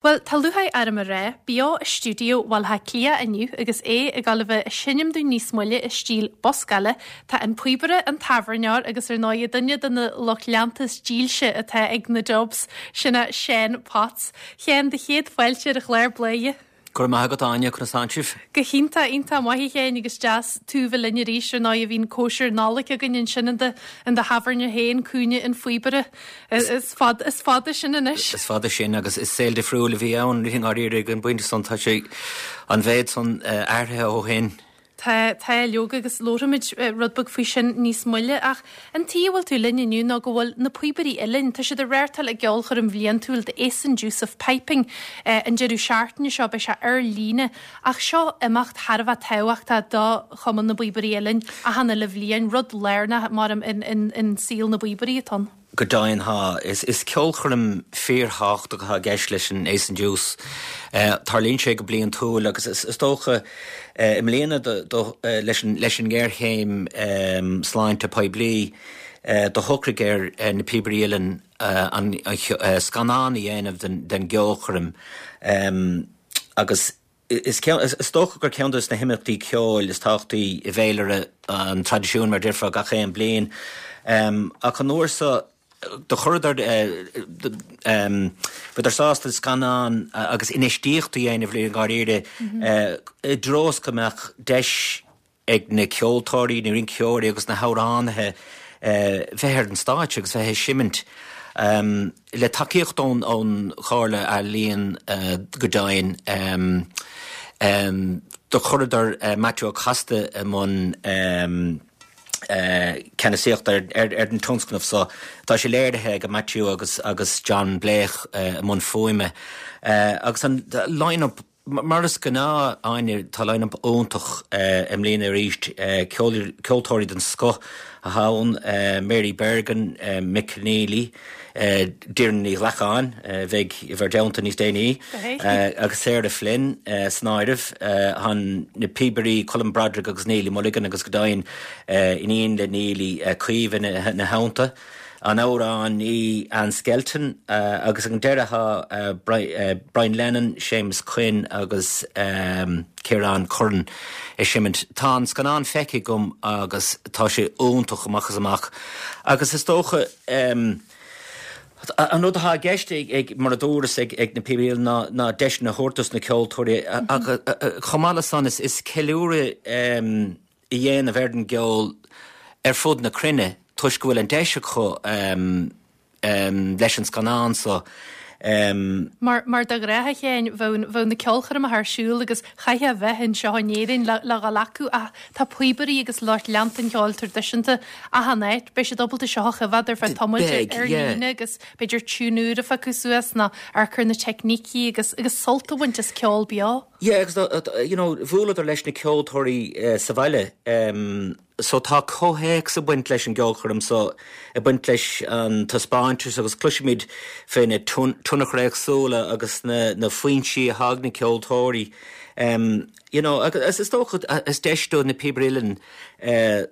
Bhuel, tá lúcháir orm a rá, beo i stiúideo Bhaile Átha Cliath inniu agus é ag dul a bheith ag seinm dúinn níos moille i stíl buscála, tá an píobaire, an tábhairneoir agus ar ndóigh duine de na lucht leanta is dílse atá ag na Dubs, sin é Seán Potts. Sheáin, do chéad fáilte ar an chlár Bladhaire. Go raibh maith agat Áine, conas tánn sibh? Go hiontach, iontach maith a Sheáin agus deas tú bheith linn arís ar ndóigh bhí an cóisir Nollag againn ansin in do in do thábhairne féin, Cúinne an Phíobaire. Is fada is fada sin anois. Is fada sin agus is saol difriúil a bhí ann i ndáiríre ag an bpointe san tá sé an mhéad san athraithe ó shin. Tá, tá, leoga, agus labharfaimid rud beag faoi sin níos moille, ach an tuige a bhfuil tú linn inniu ná go bhfuil na Píobairí Uilleann, tá siad ag reáchtáil a gceolchoirm bhliantúil The Ace and Deuce of Piping an deireadh seachtaine seo, beidh sé ar líne, ach seo imeacht thar a bheith tábhachtach do Chumann na bPíobairí Uilleann achan uile bhliain, rud lárnach, maram, in saol na bpíobairí atá ann. Go deimhin tá. Is ceolchoirm fíorthábhachtach atá i gceist leis an Ace and Deuce. Tarlaíonn sé go bliantúil agus is dócha i mbliana leis an ngéarchéim sláinte poiblí do shocraigh ar na Píobairí Uilleann an scannán a dhéanamh den gceolchoirm agus Is dócha gur ceann de na himeachtaí ceoil is tábhachtaí i bhféilire an traidisiúin, mar a déarfá, gach aon bliain. Ach an uair seo, do chuireadar, bhíodar sásta scannán agus infheistíocht a dhéanamh i ndáiríre i dtreo is go mbeadh deis ag na ceoltóirí, na rinceoirí agus na hamhránaithe bheith ar an stáitse agus bheith ag seimint. Le tacaíocht ón Chomhairle Ealaíon go deimhin, do chuireadar Maitiú Ó Costa i mbun ceannasaíochta ar an tionscnamh so. Tá sé léirithe ag Maitiú agus John Blake i mbun fuaime. Agus an line-up Mar is gnáth, Áine, tá line-up iontach i mbliana arís. Ceoltóirí den scoth atá ann, Mary Bergin, Mick Conneely, Doireann Ní Ghlacáin, a bheidh i bhur dteannta níos déanaí, agus Sarah Flynn san áireamh. Tá na píobairí Colm Broderick agus Neilí Mulligan agus go deimhin iníon le Neilí, Caoimhe ina theannta. An amhránaí Anne Skelton agus ag an deireadh tá Brian Lennon, Séamus Quinn agus Ciarán Curran ag seimint. Tá an scannán feicthe agam agus tá sé iontach amach is amach agus is dócha an rud atá i gceist ag, mar a dúras, ag na Píobairí Uilleann ná deiseanna a thabhairt dos na ceoltóirí ach chomh maith le san is ceiliúradh a dhéanamh ar an gceol ar fud na cruinne toisc go bhfuil an deis acu leis an scannán so. Mar, mar de ghnáth a Sheáin, bheadh, bheadh na ceolchoirmeacha ar siúl agus chaithfeá a bheith anseo in Éirinn le, le dhul acu ach tá píobairí agus lucht leanta an cheoil traidisiúnta achan áit. Beidh siad ábalta seo a choimhéad ar feadh tamaill ar líne agus b'fhéidir tiún úr a phiocadh suas nó amharc ar na teicnící agus, agus sult a bhaint as ceol beo. Yeah agus you know bhuaileadar leis na ceoltóirí sa bhaile so tá comhthéacs ag baint leis an gceolchoirm so, ag baint leis an taispeántas agus cloisfimid fé na tionchair éagsúla agus na na foinsí atá ag na ceoltóirí you know agus is dócha is deis do na Píobairí Uilleann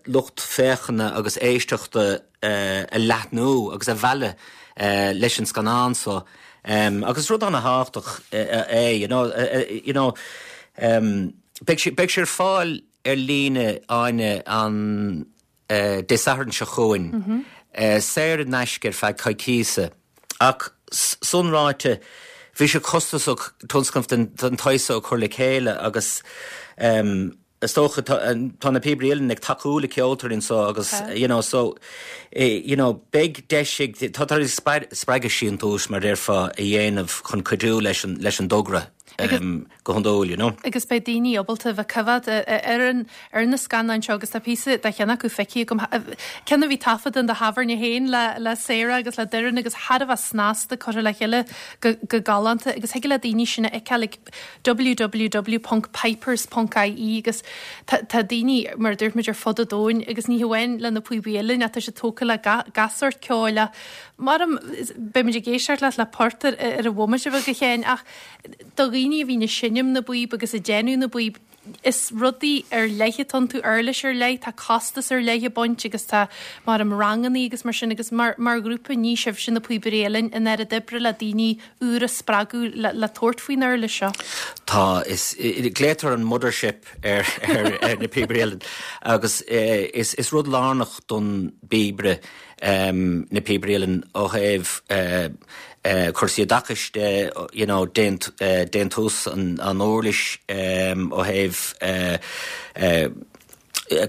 lucht féachana agus éisteachta a leathnú agus a mhealladh leis an scannán so agus is rud ana-thábhachtach é you know you know beidh sé beidh sé ar fáil ar líne Áine an Dé Sathairn seo chugainn saor in aisce ar feadh coicíosa ach san ráite bhí sé costasach tionscnamh den den tsaghas so a chur le chéile agus Is dócha, tá na Píobairí Uilleann ag tacú le ceoltóirí anseo agus you know so you know beidh deis ag, tá tar éis spreagadh síntiúis mar déarfá a dhéanamh chun cuidiú leis an leis an dtogra go hiondúil you know. Agus beidh daoine ábalta bheith coimhéad ar an ar na scannáin seo agus tá píosa de cheann acu feicthe agam, ceann a bhí taifeadta in do thábhairne féin le le Sarah agus le Doireann agus thar a bheith snasta curtha le chéile go go galánta agus thig le daoine sin a fheiceáil ag www.pipers.ie agus tá daoine, mar a dúirt muid, ar fud an domhain agus ní hamháin le na píobaí uilleann ach tá siad tógtha le gach sórt ceoil ach maram, beidh muid ag éisteacht leat le port ar an bhomaite bheag a Sheáin ach do dhaoine a bhíonn ag seinm na bpíob agus ag déanamh na bpíob. Is rudaí ar leith atá iontu, uirlis ar leith, tá costas ar leith ag baint agus tá mar am rangannaí agus mar sin agus mar mar ghrúpa ní sibhse na Píobairí Uilleann an oiread oibre le daoine úra a spreagadh le le tabhairt faoin uirlis seo. Tá, is, glaotar an mothership ar ar ar na Píobairí Uilleann agus is is rud lárnach don bpíobaire na Píobairí Uilleann ó thaobh cúrsaí oideachais de, you know, déantús an uirlis ó thaobh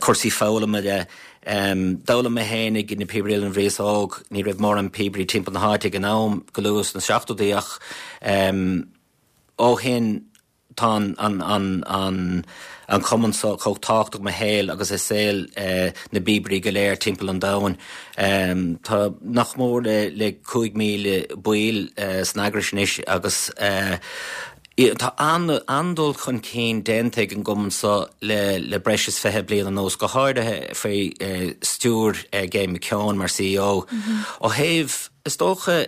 cúrsaí foghlama de. D'fhoghlaim mé féin ag na Píobairí Uilleann bhíos óg, ní raibh mórán píobairí timpeall na háite ag an am, go luath sna seachtóidí ach ó shin, Tá an cumann seo chomh tábhachtach i mo shaol agus i saol na bpíobairí go léir timpeall an domhain. Tá nach mór le 5,000 baill san eagrais anois agus tá an-dul chun cinn déanta ag an gcumann seo le breis is 20 bliain anuas, go háirithe faoi stiúir Gay McKeown mar CEO. Ó thaobh Is dócha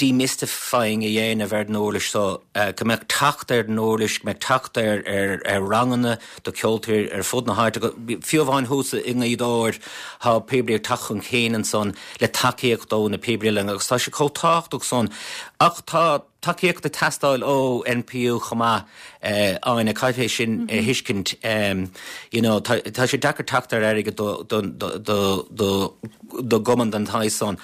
demystifying a dhéanamh ar an uirlis seo, go mbeadh teacht ar an uirlis, go mbeadh teacht ar ranganna do cheoltóirí ar fud na háite, fiú amháin thuas i nGaoth Dobhair, tá píobairí ag teacht chun cinn ansan le tacaíocht ó na Píobairí Uilleann agus tá sé chomh tábhachtach san. Ach tá. Tacaíocht ag teastáil ó NPU chomh maith, Áine, caithfidh é sin a thuiscint. You know, tá sé deacair teacht ar airgead do do gcumann den tsaghas san.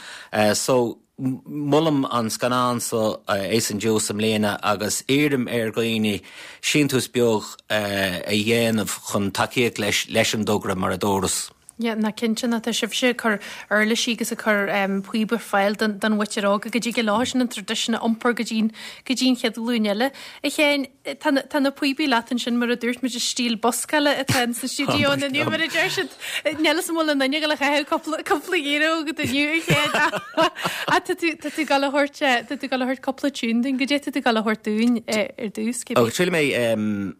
So, molaim an scannán so, Ace and Deuce, i mbliana agus iarraim ar dhaoine síntiús beag a dhéanamh chun tacaíocht leis leis an dtogra, mar a dúras. Yeah, ná cinnte, ná tá sibhse ag cur uirlisí agus ag cur píob ar fáil don don mhuintir óg go dtig leo sin an traidisiún a iompar go dtí go dtí an chéad ghlúin eile. A Sheáin, tá na tá na píobaí leat ansin mar a dúirt muid is stíl buscála atá in sa stiúideo inniu mar a deir siad. Níl 'fhios an bhfuil aon duine ag dul a chaitheamh cúpla cúpla euro agat inniu a Sheáin ach tá tú tá tú ag dul a thabhairt tá tú ag dul a thabhairt cúpla tiún dúinn, goidé tá tú ag dul a thabhairt dúinn ar dtús, cibé. Ó, triailfidh mé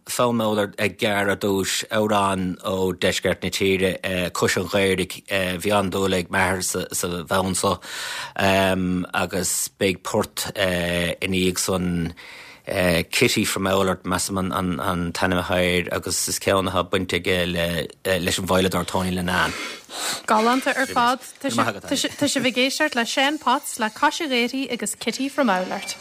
Fonn Oulart gearr ar dtús, amhrán ó deisceart na tíre, Cois an Ghaorthaidh. Bhí an-dúil ag m'athair sa bhfonn so agus beidh port ina dhiaidh san, Kitty from Oulart, measaim an t-ainm atá air agus is ceann atá baint aige leis an veidhleadóir Tony Linnane. Galánta ar fad. Tá sibh ag éisteacht le Seán Potts le Cois an Ghaorthaidh agus Kitty from Oulart.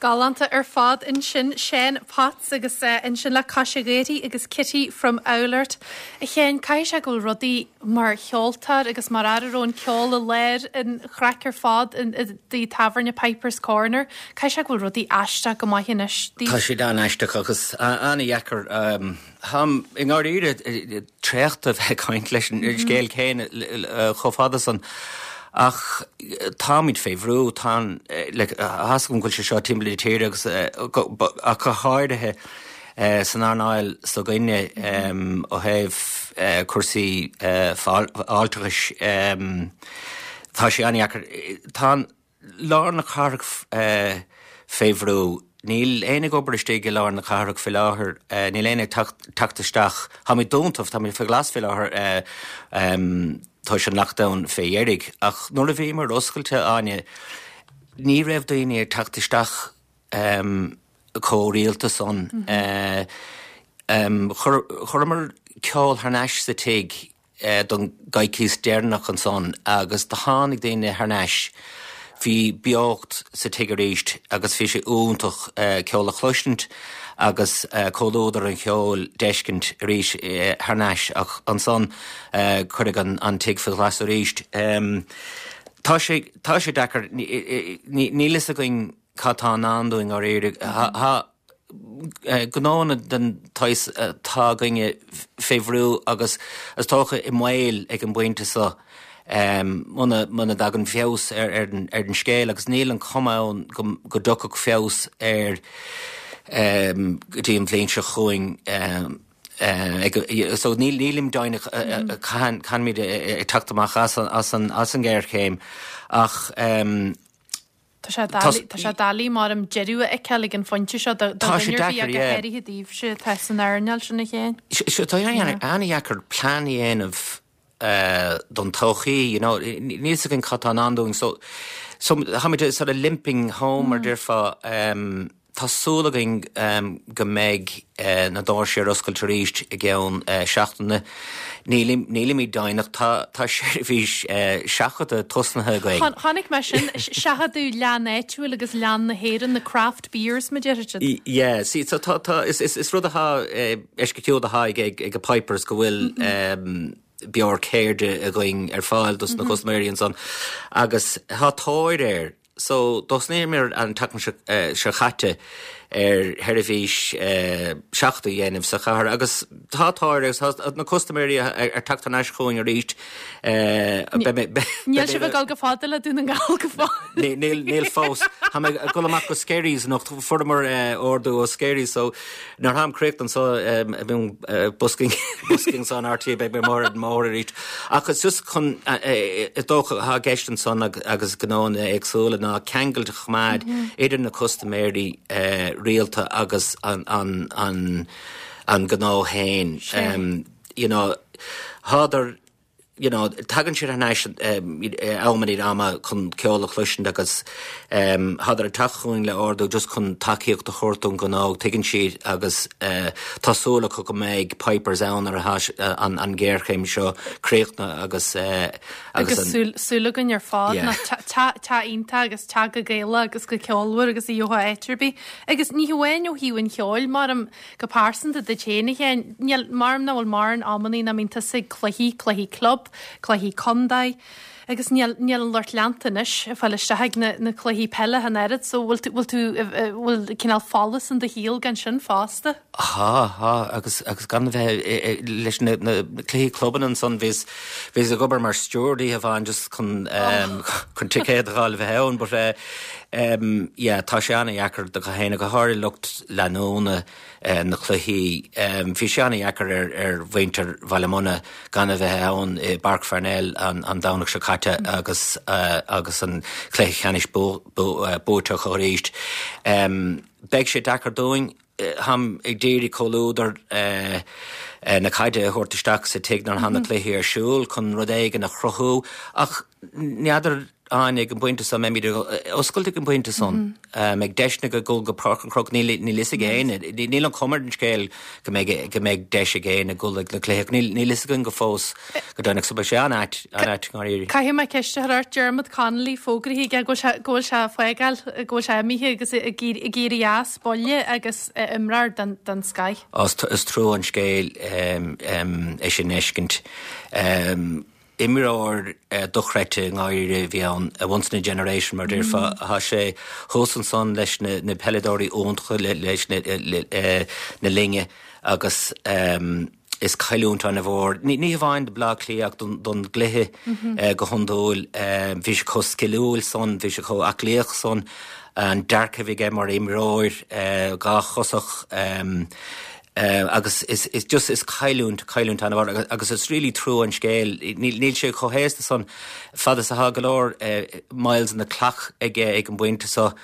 Galánta ar fad ansin, Seán Potts agus ansin le Cois a' Ghaorthaidh agus Kitty from Oulart. A Sheáin, caithfidh sé go bhfuil rudaí mar cheoltóir agus mar fhear a raibh an ceol i lár an chraic ar fad i dtigh tábhairne Pipers Corner, caithfidh sé go bhfuil rudaí aisteach go maith anois daoibh. Tá siad an-aisteach agus an-dheacair. Táim i ndáiríre traochta a bheith ag caint leis an scéal céanna chomh fada san ach táimid fé bhrú, tá an, like, tá's agam go bhfuil sé seo timpeall na tíre agus ach go háirithe san earnáil s'againne ó thaobh cúrsaí fáilteachais, tá sé an-dheacair. Tá an. Lár na cathrach fé bhrú. Níl éinne ag obair istigh i lár na cathrach faoi láthair. Níl éinne ag teacht isteach. Táimid dúnta, táimid fé ghlas faoi láthair toisc an lockdown fé dheiridh. Ach nuair a bhíomar oscailte, Áine, ní raibh daoine ag teacht isteach chomh rialta san. Chuireamar ceol thar n-ais sa tigh. don gcoicíos deireanach ansan agus do tháinig daoine thar n-ais. Bhí beocht sa tigh arís agus bhí sé iontach ceol a chloisint agus comhluadar an cheoil d'fheiscint arís thar n-ais ach ansan cuireadh an tigh faoi ghlas arís. Tá sé, tá sé deacair, níl fhios againn cad tá i ndán dúinn dháiríre. Tá. gnóanna den tsaghas atá againne fé bhrú agus is dócha i mbaol ag an bpointe seo muna muna dtagann feabhas ar ar an scéal agus níl an chuma ann go go dtiocfadh feabhas air go dtí an bhliain seo chugainn so níl nílim deimhneach cathain cathain ag teacht amach as as an as an ngéarchéim ach Tá sé doiligh, tá sé doiligh maram deireadh a fheiceáil ag an phointe seo do Tá sé dhuine ar bith deacair, ach go yeah. háirithe daoibhse atá san earnáil sin a Sheáin. Tá sé an-dheacair plean a dhéanamh don todhchaí, you know, níl fhios againn cad tá i ndán dúinn so so táimid sort of limping home mar déarfá. Tá súil againn go mbeidh na doirse ar oscailt arís i gceann seachtaine. Nílimid deimhneach. Tá seirbhís seachadta tosnaithe againn. Chonaic mé sin, seachadadh leann áitiúil agus leann na hÉireann, na craft beers, mar a déarfá siad. Yeah, see, so tá, tá, is rud atá eisceachtúil atá ag Pipers go bhfuil beoir ceirde againn ar fáil dos na custaiméirí ansan agus tá tóir air. So, thosnaíomar an tseachtain seo chaite ar sheirbhís seachadta a dhéanamh sa chathair agus tá tóir agus tá na custaiméirí ar teacht thar n-ais chugainn arís. Níl sibh ag dul go fada le Dún na nGall go fóill. Níl fós. Tá mé ag dul amach go Skerries anocht, fuaireamar ordú ó Skerries so Nuair atáim críochnaithe anso i busking busking anso in RTÉ beidh mé amuigh ar an mbóthar arís. Ach is just chun is dócha atá i gceist ansan agus gnóanna éagsúla ná ceangailt a choimeád idir na custaiméirí rialta agus an an an an gnó féin. You know, thádar you know, tagann siad thar n-ais am i ndiaidh ama chun ceol a chloisint agus thádar ag teacht chugainn le ordú just chun tacaíocht a thabhairt don ghnó, tuigeann siad agus tá súil acu go mbeidh Pipers ann nuair atá an ghéarchéim seo críochnaithe agus agus an. Súil againn ar fad ná teach iontach agus teach go Gaelach agus go ceolmhar agus a gheofá áit ar bith. Agus ní hamháin ó thaobh an cheoil, maram, Go pearsanta duit féin, a Sheáin, níl, maram nach bhfuil mórán amannaí nach mbíonn tusa ag cluichí, cluichí club, cluichí contae, agus níl, níl an lucht leanta anois ag fáil isteach ag na, na cluichí peile ach an oiread, so bhfuil tú, bhfuil tú, bhfuil cineál folús in do shaol gan sin fosta? Tá, tá, agus, agus gan a bheith leis na, na cluichí clubanna ansan, bhíos, bhíos ag obair mar steward oíche amháin just chun, chun ticéad a fháil a bheith ann, but eh, Yeah, tá sé an-dheacair do gach éinne, go háirithe lucht leanúna na cluichí. Bhí sé an-dheacair ar ar mhuintir Bhaile Munna gan a bheith ann i bPáirc Pharnell an Domhnach seo caite agus agus an cluiche ceannais buaite acu arís. Beidh sé deacair dúinn. Táim ag d'iarraidh comhluadar na caide a thabhairt isteach sa tigh nuair atá na cluichí ar siúl chun rud éigin a chruthú ach n'fheadar. Áine, ag an bpointe so, an mbeimid oscailte ag an bpointe san? An mbeidh deiseanna ag dul go Páirc an Chrócaigh? Níl níl fhios ag éinne. Níl an chuma ar an scéal go mbeidh go mbeidh deis ag éinne dul ag na cluichí ach níl níl fhios againn go fós go deimhneach so beidh sé an-ait an-ait i ndáiríre. Caithfidh mé ceist a chur ort, Dermot Connolly fógraithe aige go bhfuil sé go bhfuil sé ag fágáil, go bhfuil sé imithe agus ag ag éirí as baile agus imreoir den den scoth. Á is trua an scéal é sin a fheiscint. Imreoir dochreidte i ndáiríre a bhí ann, a once in a generation mar a déarfá. Tá sé thuas ansan leis na peileadóirí iontacha leis na linne agus is cailliúint an-mhór, ní hamháin do Bhleá Cliath ach don gcluiche go hiondúil. Bhí sé chomh sciliúil san, bhí sé chomh aclaíoch san, an dearcadh a bhí aige mar imreoir dháchosach. Agus is is just is cailliúint, cailliúint an-mhór agus is really trua an scéal. Níl níl sé chomh haosta san fad is atá go leor miles on the clock aige ag an bpointe so.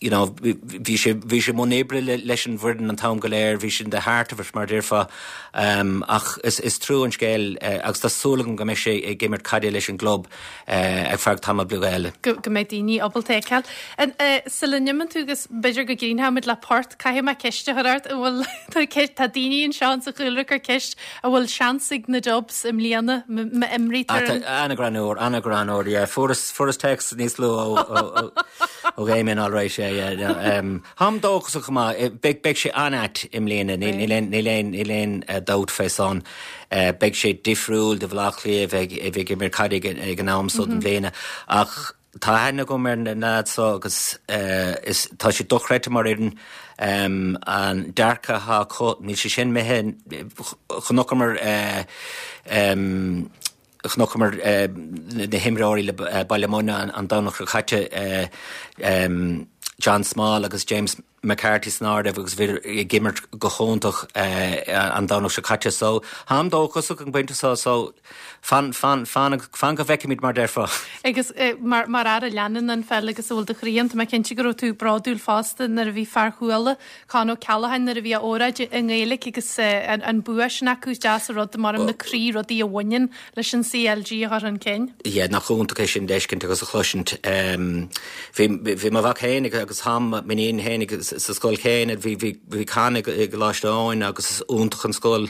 You know, bhí sé bhí sé i mbun oibre leis an bhfoireann an t-am go léir, bhí sé in the heart of it mar a déarfá. Ach is is trua an scéal agus tá súil agam go mbeidh sé ag imirt caide leis an gclub ar feadh tamall beag eile. Go mbeidh daoine ábalta é a fheiceáil. Sula n-imíonn tú agus b'fhéidir go gcríochnóimid le port, caithfidh mé ceist a chur ort, an bhfuil, tá daoine anseo insa chúlra ag cur ceist, an bhfuil seans ag na Dubs i mbliana má imrítear an. An-ghreannmhar, an-ghreannmhar, yeah. Fuaireas, fuaireas téacs níos luaithe ó, ó Dhamien alright, yeah, yeah. No, táim dóchasach go maith. Beidh, beidh sé an-ait i mbliana, níl, níl aon, níl aon, níl aon dabht fé san. Beidh sé difriúil do Bhaile Átha Cliath a bheith ag, a bheith ag imirt caide ag, ag an am so den bhliana. Ach tá aithne agam ar na leaids so agus is, tá siad dochreidte mar fhoireann. An dearcadh atá acu, níl sé sin imithe, chonaiceamar, chonaiceamar na himreoirí le Baile Munna an Domhnach seo caite, John Small agus James McCarthy san áireamh agus bhí ag imirt go hiontach an Domhnach seo caite. So, táim dóchasach an pointe seo, so fan, fan, fan, fan go bhfeicfimid mar déarfá. Agus mar, mar fhear a leanann an pheil agus a bhfuil do chroí ann, tá mé cinnte go raibh tú bródúil fosta nuair a bhí fear Chuala, Con O'Callaghan, nuair a bhí a óráid i nGaeilge agus an bua sin acu, is deas an rud, mar na croí rudaí a bhaineann leis an CLG a chur chun cinn. Yeah, nach iontach é sin d'fheiscint agus a chloisint. Bhí, bhí mo mhac fhéinig agus tá m'iníon fhéinig sa scoil chéanna, bhí, bhí, bhí Con i gColáiste Eoin agus is iontach an scoil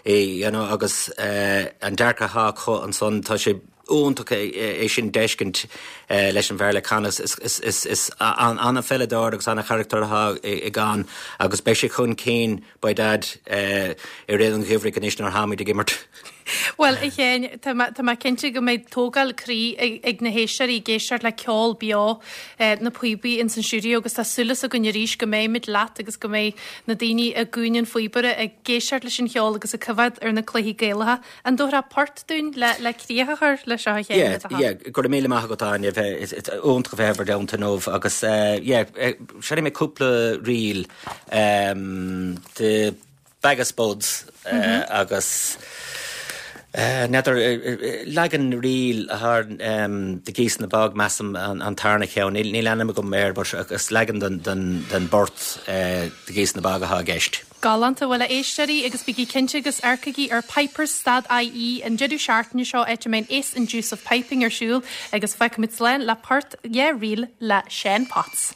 é, you know, agus an dearcadh atá acu ansan, tá sé iontach é sin d'fheiscint leis an bhfear le Con, is, is, is, is an-pheileadóir agus an-charachtar atá i gCon agus beidh sé chun cinn by dad i rith an gheimhridh anois nuair atáimid ag imirt. Bhuel, a Sheáin, tá mé, tá mé cinnte go mbeidh tógáil croí ag na héisteoirí ag éisteacht le ceol beo na píobaí ins an stiúideo agus tá súil againn arís go mbeimid leat agus go mbeidh na daoine i gCúinne an Phíobaire ag éisteacht leis an cheol agus ag coimhéad ar na cluichí Gaelacha. An dtabharfá port dúinn le, le críoch a chur leis seo a Sheáin, le do thoil? Yeah, yeah, go raibh míle maith agat, Áine, bheith, is iontach a bheith i bhur dteannta inniu agus yeah, seinnfidh mé cúpla ríl. The Bag of Spuds agus n'fheadar, leagan ríl atá ar The Geese in the Bog, measaim, an tarna cheann. Níl ainm agam air but is leagan den bport The Geese in the Bog atá i gceist. Galánta. Bhuel, a éisteoirí, agus bígí cinnte agus amharcaigí ar pipers stad ie an deireadh seachtaine seo áit a mbeidh an Ace and Deuce of Piping ar siúl agus fágfaimid slán le port dhá ríl le Seán Potts.